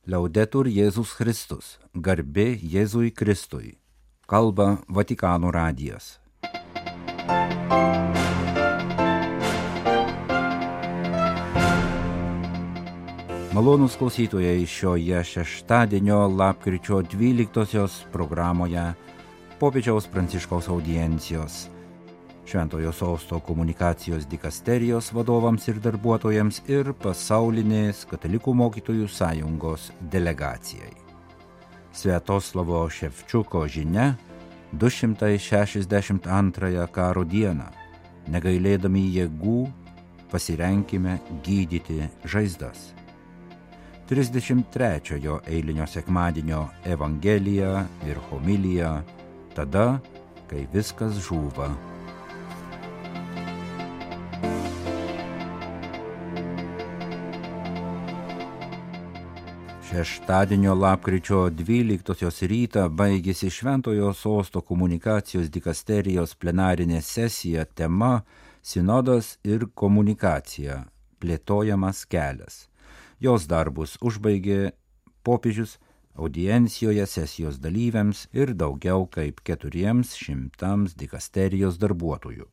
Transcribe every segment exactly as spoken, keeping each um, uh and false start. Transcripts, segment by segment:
Liaudetur Jėzus Kristus, garbė Jėzui Kristui, kalba Vatikano radijas. Malonūs klausytojai, šioje šeštadienio lapkričio dvyliktosios programoje popiežiaus Pranciškaus audiencijos Šventojo Sosto komunikacijos dikasterijos vadovams ir darbuotojams ir pasaulinės katalikų mokytojų sąjungos delegacijai. Sviatoslavo Ševčiuko žinia du šimtai šešiasdešimt antrąją karo dieną, negailėdami jėgų, pasirenkime gydyti žaizdas. trisdešimt trečiojo eilinio sekmadienio evangelija ir homilija, tada, kai viskas žūva. Šeštadienio lapkričio dvyliktosios rytą baigėsi Šventojo Sosto komunikacijos dikasterijos plenarinė sesija tema Sinodas ir komunikacija – plėtojamas kelias. Jos darbus užbaigė popiežius audiencijoje sesijos dalyviams ir daugiau kaip keturiems šimtams dikasterijos darbuotojų.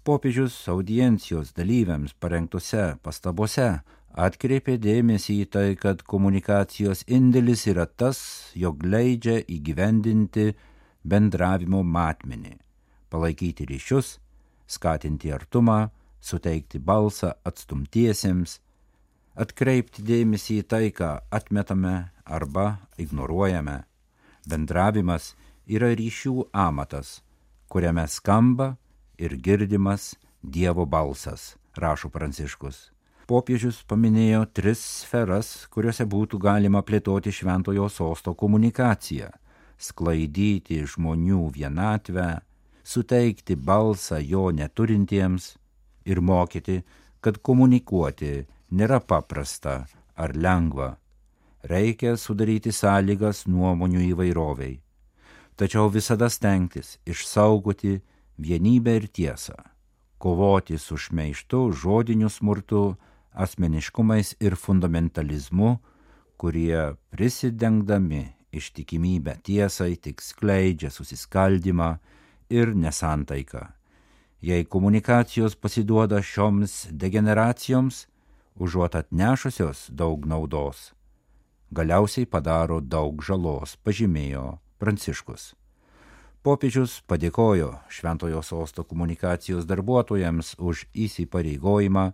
Popiežius audiencijos dalyviams parengtose pastabose atkreipė dėmesį į tai, kad komunikacijos indėlis yra tas, jog leidžia įgyvendinti bendravimo matmenį, palaikyti ryšius, skatinti artumą, suteikti balsą atstumtiesiems, atkreipti dėmesį į tai, ką atmetame arba ignoruojame. Bendravimas yra ryšių amatas, kuriame skamba ir girdimas Dievo balsas, rašo Pranciškus. Popiežius paminėjo tris sferas, kuriuose būtų galima plėtoti Šventojo Sosto komunikaciją – sklaidyti žmonių vienatvę, suteikti balsą jo neturintiems ir mokyti, kad komunikuoti nėra paprasta ar lengva. Reikia sudaryti sąlygas nuomonių įvairoviai, tačiau visada stengtis išsaugoti vienybę ir tiesą, kovoti su šmeižtu, žodiniu smurtu, asmeniškumais ir fundamentalizmu, kurie prisidengdami ištikimybę tiesai tik skleidžia susiskaldymą ir nesantaiką. Jei komunikacijos pasiduoda šioms degeneracijoms, užuot atnešusios daug naudos, galiausiai padaro daug žalos, pažymėjo Pranciškus. Popiežius padėkojo Šventojo Sosto komunikacijos darbuotojams už įsipareigojimą,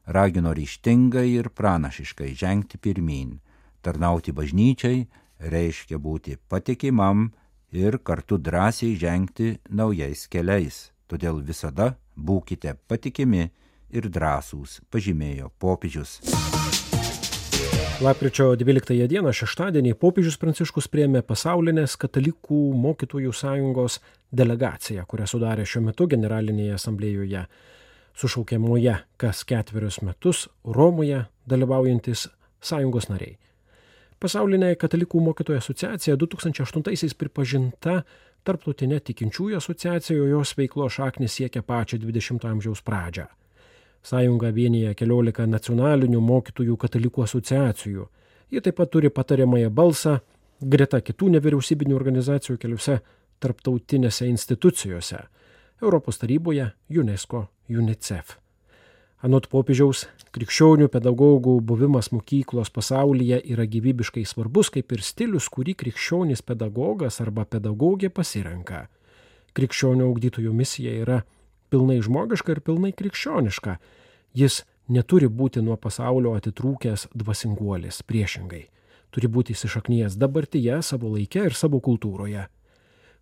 ragino ryžtingai ir pranašiškai žengti pirmyn. Tarnauti bažnyčiai reiškia būti patikimam ir kartu drąsiai žengti naujais keliais. Todėl visada būkite patikimi ir drąsūs, pažymėjo popiežius. Lapkričio dvyliktąją dieną šeštadienį popiežius Pranciškus priėmė pasaulinės katalikų mokytojų sąjungos delegaciją, kurią sudarė šiuo metu generalinėje asamblėjoje sušaukiamoje kas ketverius metus Romoje dalyvaujantis sąjungos nariai. Pasaulinė katalikų mokytojų asociacija du tūkstančiai aštuntaisiais pripažinta tarptautinė tikinčiųjų asociacija, o jos veiklos šaknys siekia pačią dvidešimto amžiaus pradžią. Sąjunga vienija keliolika nacionalinių mokytojų katalikų asociacijų. Ji taip pat turi patariamąją balsą greta kitų nevyriausybinių organizacijų keliose tarptautinėse institucijose – Europos taryboje, UNESCO, UNICEF. Anot popiežiaus, krikščionių pedagogų buvimas mokyklos pasaulyje yra gyvybiškai svarbus, kaip ir stilius, kurį krikščionis pedagogas arba pedagogė pasirenka. Krikščionio ugdytojų misija yra pilnai žmogiška ir pilnai krikščioniška. Jis neturi būti nuo pasaulio atitrūkęs dvasinguolis, priešingai. Turi būti įsišaknijęs dabartyje, savo laike ir savo kultūroje.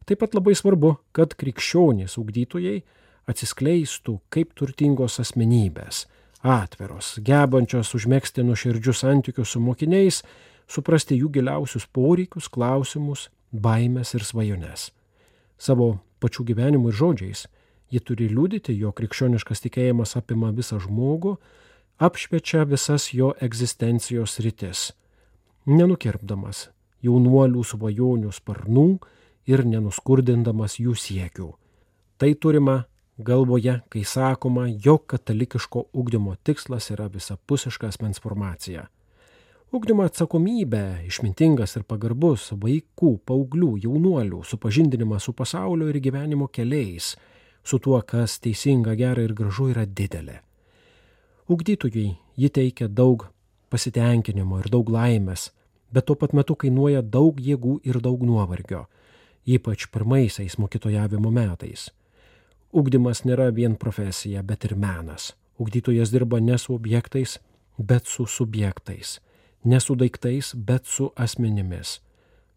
Taip pat labai svarbu, kad krikščionys ugdytojai atsiskleistų kaip turtingos asmenybės, atviros, gebančios užmegzti nuoširdžius santykius su mokiniais, suprasti jų giliausius poreikius, klausimus, baimes ir svajones. Savo pačių gyvenimų ir žodžiais ji turi liudyti, jo krikščioniškas tikėjimas apima visą žmogų, apšviečia visas jo egzistencijos sritis, nenukirpdamas jaunuolių svajonių sparnų ir nenuskurdindamas jų siekių. Tai turima galvoje, kai sakoma, jog katalikiško ugdymo tikslas yra visapusiška asmens formacija. Ugdymo atsakomybė, išmintingas ir pagarbus vaikų, paauglių, jaunuolių supažindinimas su pasaulio ir gyvenimo keliais, su tuo, kas teisinga, gera ir gražu, yra didelė. Ugdytojui ji teikia daug pasitenkinimo ir daug laimės, bet tuo pat metu kainuoja daug jėgų ir daug nuovargio, ypač pirmaisiais mokytojavimo metais. Ugdymas nėra vien profesija, bet ir menas. Ugdytojas dirba ne su objektais, bet su subjektais. Ne su daiktais, bet su asmenimis.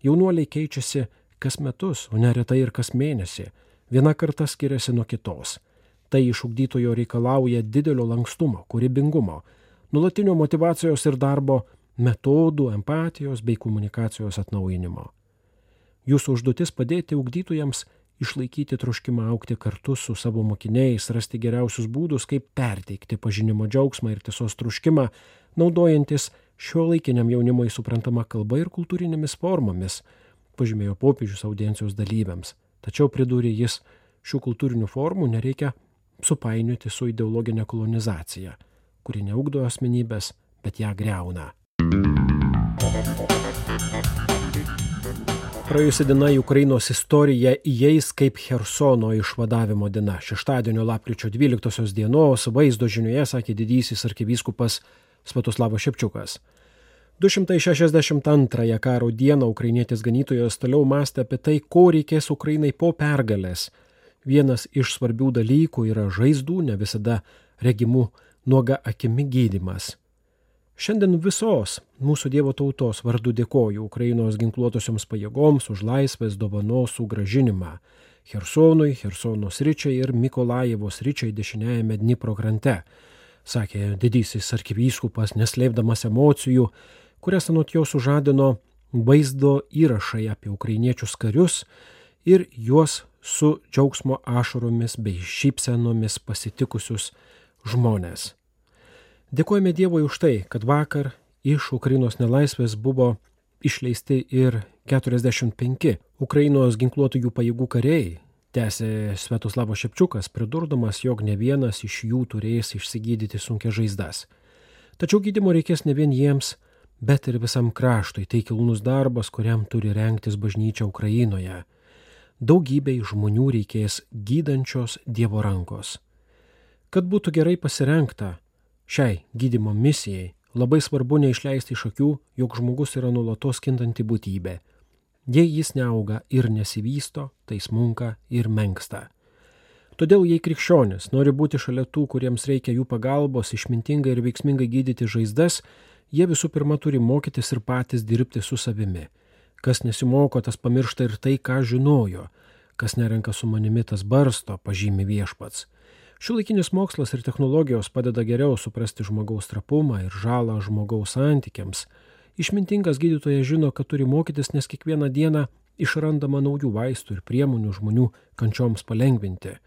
Jaunuoliai keičiasi kas metus, o neretai ir kas mėnesį. Viena karta skiriasi nuo kitos. Tai iš ugdytojo reikalauja didelio lankstumo, kūrybingumo, nuolatinio motyvacijos ir darbo metodų, empatijos bei komunikacijos atnaujinimo. Jūsų užduotis padėti ugdytojams išlaikyti troškimą augti kartu su savo mokiniais, rasti geriausius būdus, kaip perteikti pažinimo džiaugsmą ir tiesos troškimą, naudojantis šiuolaikiniam jaunimui suprantama kalba ir kultūrinėmis formomis, pažymėjo popiežius audiencijos dalyviams. Tačiau pridūrė jis, šių kultūrinių formų nereikia supainioti su ideologinė kolonizacija, kuri neugdo asmenybės, bet ją griauna. Praėjusi diena į Ukrainos istoriją įeis kaip Chersono išvadavimo diena. Šeštadienio lapkričio dvyliktosios dienos vaizdo žinioje sakė didysis arkivyskupas Sviatoslavas Šepčiukas. du šimtai šešiasdešimt antrąją karo dieną ukrainietis ganytojas toliau mąstė apie tai, ko reikės Ukrainai po pergalės. Vienas iš svarbių dalykų yra žaizdų, ne visada regimų nuoga akimi gydymas. Šiandien visos mūsų Dievo tautos vardu dėkoju Ukrainos ginkluotosioms pajėgoms už laisvės dovanos sugrąžinimą Chersonui, Chersono sričiai ir Mikolajevo sričiai dešiniajame Dnipro krante, sakė didysis arkivyskupas, neslėpdamas emocijų, kurias anot jo sužadino vaizdo įrašai apie ukrainiečius karius ir juos su džiaugsmo ašaromis bei šypsenomis pasitikusius žmonės. Dėkojame Dievui už tai, kad vakar iš Ukrainos nelaisvės buvo išleisti ir keturiasdešimt penki Ukrainos ginkluotųjų pajėgų kariai, tęsė Sviatoslavas Šepčiukas, pridurdamas, jog ne vienas iš jų turės išsigydyti sunkias žaizdas. Tačiau gydymo reikės ne vien jiems, bet ir visam kraštui. Tai kilnus darbas, kuriam turi rengtis bažnyčia Ukrainoje. Daugybei žmonių reikės gydančios Dievo rankos. Kad būtų gerai pasirengta šiai gydymo misijai, labai svarbu neišleisti iš akių, jog žmogus yra nuolatos kintanti būtybė. Jei jis neauga ir nesivysto, tai smunka ir menksta. Todėl jei krikščionis nori būti šalia tų, kuriems reikia jų pagalbos, išmintingai ir veiksmingai gydyti žaizdas, jie visų pirma turi mokytis ir patys dirbti su savimi. Kas nesimoko, tas pamiršta ir tai, ką žinojo. Kas nerenka su manimi, tas barsto, pažymi viešpats. Šiuolaikinis mokslas ir technologijos padeda geriau suprasti žmogaus trapumą ir žalą žmogaus santykiams. Išmintingas gydytojas žino, kad turi mokytis, nes kiekvieną dieną išrandama naujų vaistų ir priemonių žmonių kančioms palengvinti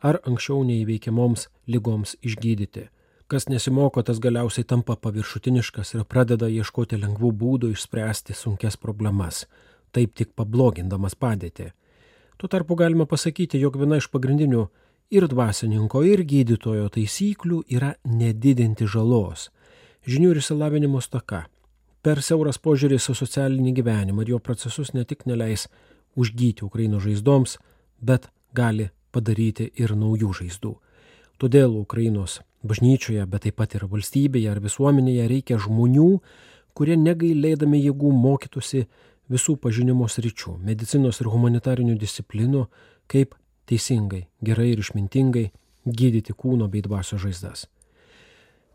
ar anksčiau neįveikiamoms ligoms išgydyti. Kas nesimoko, tas galiausiai tampa paviršutiniškas ir pradeda ieškoti lengvų būdų išspręsti sunkias problemas, taip tik pablogindamas padėtį. Tuo tarpu galima pasakyti, jog viena iš pagrindinių ir dvasininko, ir gydytojo taisyklių yra nedidinti žalos. Žinių ir išsilavinimo stoka. Per siauras požiūris į socialinį gyvenimą ir jo procesus ne tik neleis užgyti Ukrainos žaizdoms, bet gali padaryti ir naujų žaizdų. Todėl Ukrainos bažnyčioje, bet taip pat ir valstybėje ar visuomenėje reikia žmonių, kurie negailėdami jėgų mokytųsi visų pažinimo sričių, medicinos ir humanitarinių disciplinų, kaip teisingai, gerai ir išmintingai gydyti kūno bei dvasios žaizdas.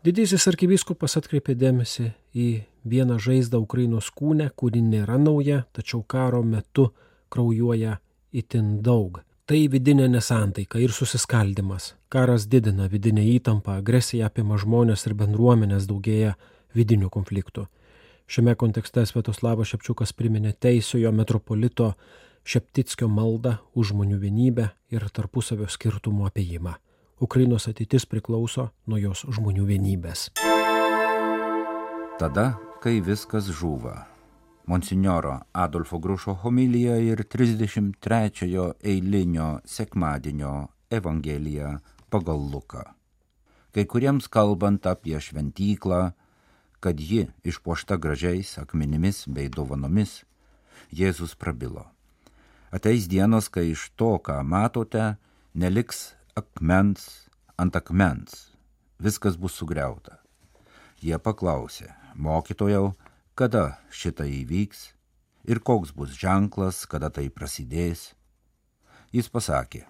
Didysis arkivyskupas atkreipė dėmesį į vieną žaizdą Ukrainos kūne, kuri nėra nauja, tačiau karo metu kraujuoja itin daug. Tai vidinė nesantaika ir susiskaldimas. Karas didina vidinę įtampą, agresija apima žmonės ir bendruomenės, daugėja vidinių konfliktų. Šiame kontekste Sviatoslavas Šepčiukas priminė teisiojo metropolito Šeptickio maldą už žmonių vienybę ir tarpusavio skirtumų apėjimą. Ukrainos ateitis priklauso nuo jos žmonių vienybės. Tada, kai viskas žūva. Monsinjoro Adolfo Grušo homilija ir trisdešimt trečiojo eilinio sekmadienio Evangelija pagal Luką. Kai kuriems kalbant apie šventyklą, kad ji išpuošta gražiais akmenimis bei dovanomis, Jėzus prabilo. Ateis dienos, kai iš to, ką matote, neliks akmens ant akmens, viskas bus sugriauta. Jie paklausė, mokytojau, kada šitą įvyks ir koks bus ženklas, kada tai prasidės. Jis pasakė,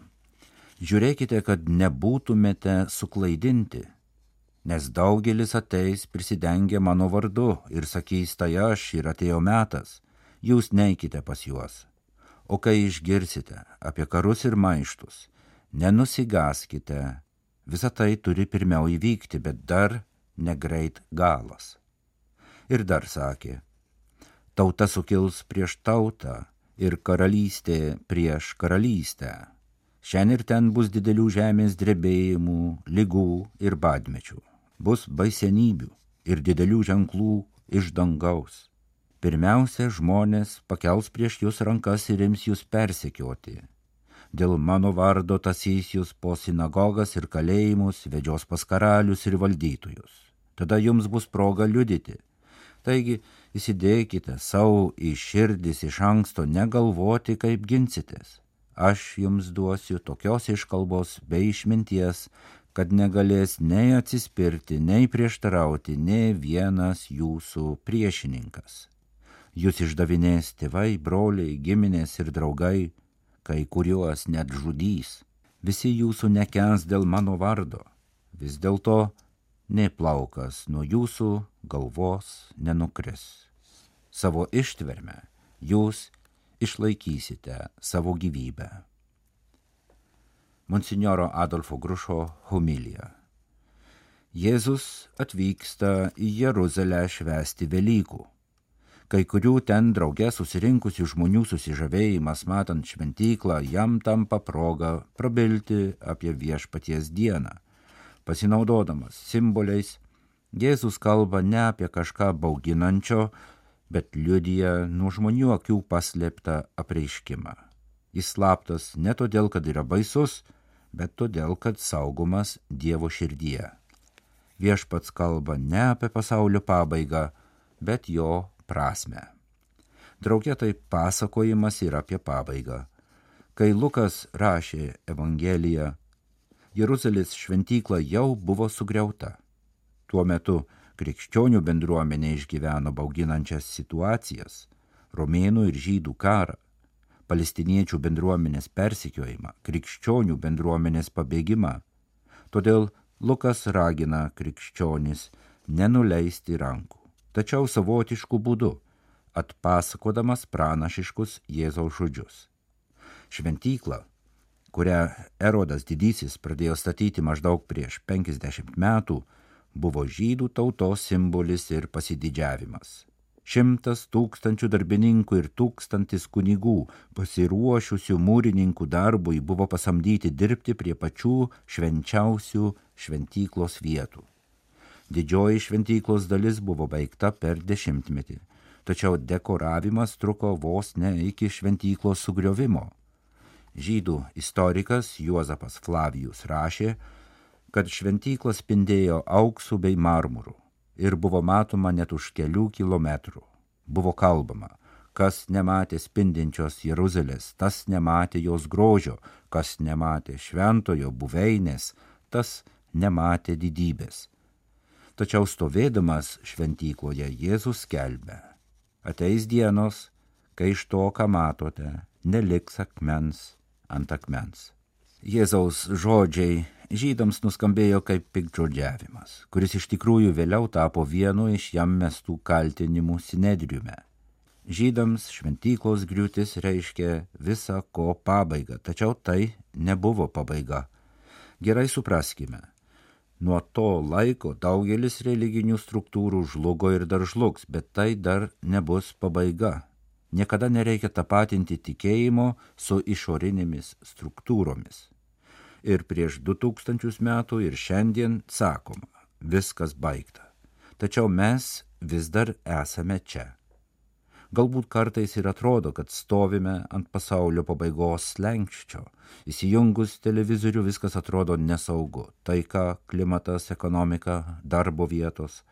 žiūrėkite, kad nebūtumėte suklaidinti, nes daugelis ateis prisidengę mano vardu ir sakys, tai aš ir atėjo metas, jūs neikite pas juos. O kai išgirsite apie karus ir maištus, nenusigaskite, visa tai turi pirmiau įvykti, bet dar negreit galas. Ir dar sakė, tauta sukils prieš tautą ir karalystė prieš karalystę. Šiandien ir ten bus didelių žemės drebėjimų, ligų ir badmečių. Bus baisenybių ir didelių ženklų iš dangaus. Pirmiausia, žmonės pakels prieš jūs rankas ir ims jūs persekioti. Dėl mano vardo tasys jūs po sinagogas ir kalėjimus, vedžios pas karalius ir valdytojus. Tada jums bus proga liudyti. Taigi, įsidėkite savo į širdis iš anksto negalvoti, kaip ginsitės. Aš jums duosiu tokios iškalbos bei išminties, kad negalės nei atsispirti, nei prieštarauti, nei vienas jūsų priešininkas. Jūs išdavinės tėvai, broliai, giminės ir draugai, kai kuriuos net žudys. Visi jūsų nekens dėl mano vardo. Vis dėlto nė plaukas nuo jūsų galvos nenukris. Savo ištverme jūs išlaikysite savo gyvybę. Monsinjoro Adolfo Grušo homilija. Jėzus atvyksta į Jeruzalę švęsti Velykų. Kai kurių ten drauge susirinkusių žmonių susižavėjimas matant šventyklą jam tampa proga prabilti apie viešpaties dieną. Pasinaudodamas simboliais, Jėzus kalba ne apie kažką bauginančio, bet liudija nuo žmonių akių paslėptą apreiškimą. Jis slaptas ne todėl, kad yra baisus, bet todėl, kad saugomas Dievo širdyje. Viešpats kalba ne apie pasaulio pabaigą, bet jo prasme. Drauge tai pasakojimas ir apie pabaigą. Kai Lukas rašė Evangeliją, Jeruzalės šventykla jau buvo sugriauta. Tuo metu krikščionių bendruomenė išgyveno bauginančias situacijas, romėnų ir žydų karą, palestiniečių bendruomenės persekiojimą, krikščionių bendruomenės pabėgimą. Todėl Lukas ragina krikščionis nenuleisti rankų, tačiau savotiškų būdų, atpasakodamas pranašiškus Jėzaus žodžius. Šventykla, kurią Erodas didysis pradėjo statyti maždaug prieš penkiasdešimt metų, buvo žydų tautos simbolis ir pasididžiavimas. Šimtas tūkstančių darbininkų ir tūkstantis kunigų, pasiruošusių mūrininkų darbui, buvo pasamdyti dirbti prie pačių švenčiausių šventyklos vietų. Didžioji šventyklos dalis buvo baigta per dešimtmetį, tačiau dekoravimas truko vos ne iki šventyklos sugriovimo. Žydų istorikas Juozapas Flavijus rašė, kad šventykla spindėjo auksu bei marmuru ir buvo matoma net už kelių kilometrų. Buvo kalbama, kas nematė spindinčios Jeruzalės, tas nematė jos grožio, kas nematė šventojo buveinės, tas nematė didybės. Tačiau stovėdamas šventykloje Jėzus skelbia, ateis dienos, kai iš to, ką matote, neliks akmens ant akmens. Jėzaus žodžiai žydams nuskambėjo kaip piktžodžiavimas, kuris iš tikrųjų vėliau tapo vienu iš jam mestų kaltinimų sinedriume. Žydams šventyklos griūtis reiškia visa ko pabaigą, tačiau tai nebuvo pabaiga. Gerai supraskime, nuo to laiko daugelis religinių struktūrų žlugo ir dar žlugs, bet tai dar nebus pabaiga. Niekada nereikia tapatinti tikėjimo su išorinėmis struktūromis. Ir prieš du tūkstančius metų ir šiandien sakoma, viskas baigta. Tačiau mes vis dar esame čia. Galbūt kartais ir atrodo, kad stovime ant pasaulio pabaigos slenksčio. Įsijungus televizorių viskas atrodo nesaugu. Taika, klimatas, ekonomika, darbo vietos.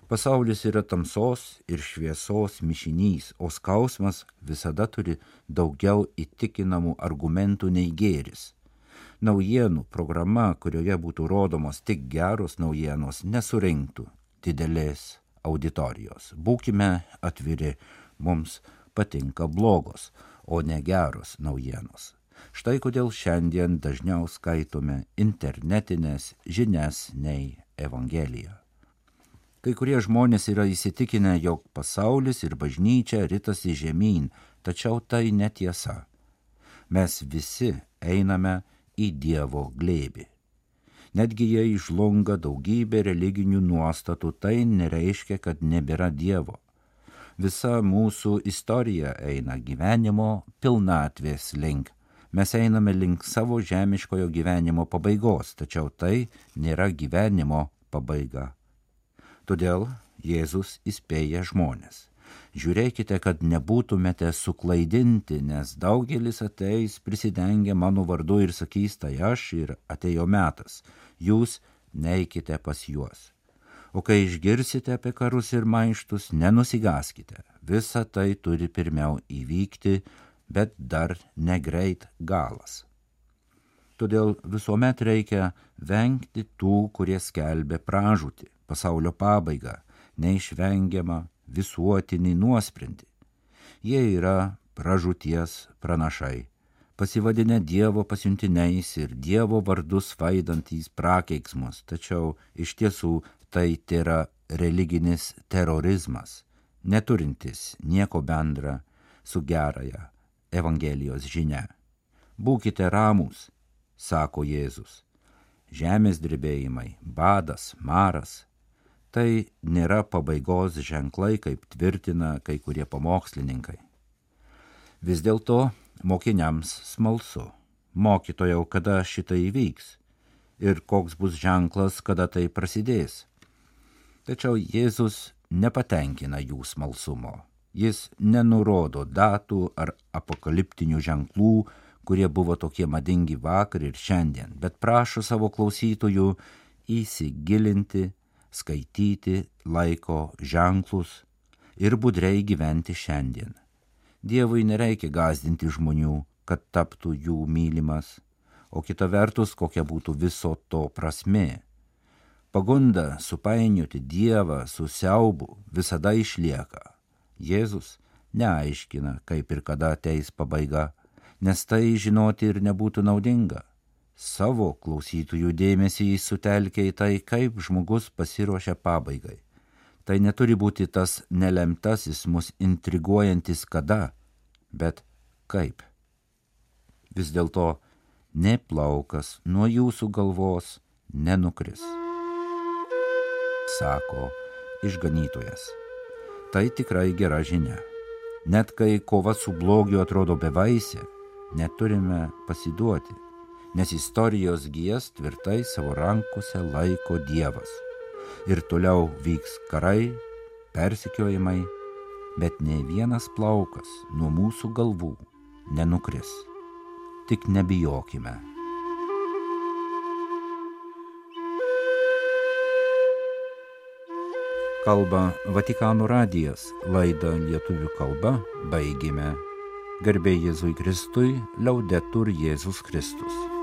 Pasaulis yra tamsos ir šviesos mišinys, o skausmas visada turi daugiau įtikinamų argumentų nei gėris. Naujienų programa, kurioje būtų rodomos tik geros naujienos, nesurinktų didelės auditorijos. Būkime atviri, mums patinka blogos, o ne geros naujienos. Štai kodėl šiandien dažniau skaitome internetinės žinias nei Evangeliją. Kai kurie žmonės yra įsitikinę, jog pasaulis ir bažnyčia ritasi žemyn, tačiau tai netiesa. Mes visi einame į Dievo glėbį. Netgi jei žlunga daugybė religinių nuostatų, tai nereiškia, kad nebėra Dievo. Visa mūsų istorija eina gyvenimo pilnatvės link. Mes einame link savo žemiškojo gyvenimo pabaigos, tačiau tai nėra gyvenimo pabaiga. Todėl Jėzus įspėja žmonės. Žiūrėkite, kad nebūtumėte suklaidinti, nes daugelis ateis prisidengę mano vardu ir sakys, tai aš ir atėjo metas. Jūs neikite pas juos. O kai išgirsite apie karus ir maištus, nenusigaskite. Visa tai turi pirmiau įvykti, bet dar negreit galas. Todėl visuomet reikia vengti tų, kurie skelbia pražūtį, pasaulio pabaigą, neišvengiamą visuotinį nuosprendį. Jie yra pražūties pranašai, pasivadinę Dievo pasiuntiniais ir Dievo vardus vaidantys prakeiksmus, tačiau iš tiesų tai tėra religinis terorizmas, neturintis nieko bendra su gerąja Evangelijos žinia. Būkite ramūs, sako Jėzus. Žemės drebėjimai, badas, maras, tai nėra pabaigos ženklai, kaip tvirtina kai kurie pamokslininkai. Vis dėlto mokiniams smalsu. Mokytojau, kada šitai įvyks ir koks bus ženklas, kada tai prasidės. Tačiau Jėzus nepatenkina jų smalsumo. Jis nenurodo datų ar apokaliptinių ženklų, kurie buvo tokie madingi vakar ir šiandien, bet prašo savo klausytojų įsigilinti, skaityti laiko ženklus ir budriai gyventi šiandien. Dievui nereikia gąsdinti žmonių, kad taptų jų mylimas, o kita vertus, kokia būtų viso to prasmė. Pagunda supainioti Dievą su siaubu visada išlieka. Jėzus neaiškina, kaip ir kada ateis pabaiga, nes tai žinoti ir nebūtų naudinga. Savo klausytojų dėmesį jis sutelkia į tai, kaip žmogus pasiruošia pabaigai. Tai neturi būti tas nelemtasis mus intriguojantis kada, bet kaip. Vis dėlto nė plaukas nuo jūsų galvos nenukris, sako išganytojas. Tai tikrai gera žinia. Net kai kova su blogiu atrodo bevaisė, neturime pasiduoti, nes istorijos gijas tvirtai savo rankose laiko Dievas. Ir toliau vyks karai, persekiojimai, bet nei vienas plaukas nuo mūsų galvų nenukris. Tik nebijokime. Kalba Vatikano radijas, laidą lietuvių kalba baigėme. Garbė Jėzui Kristui, Laudetur Jėzus Kristus.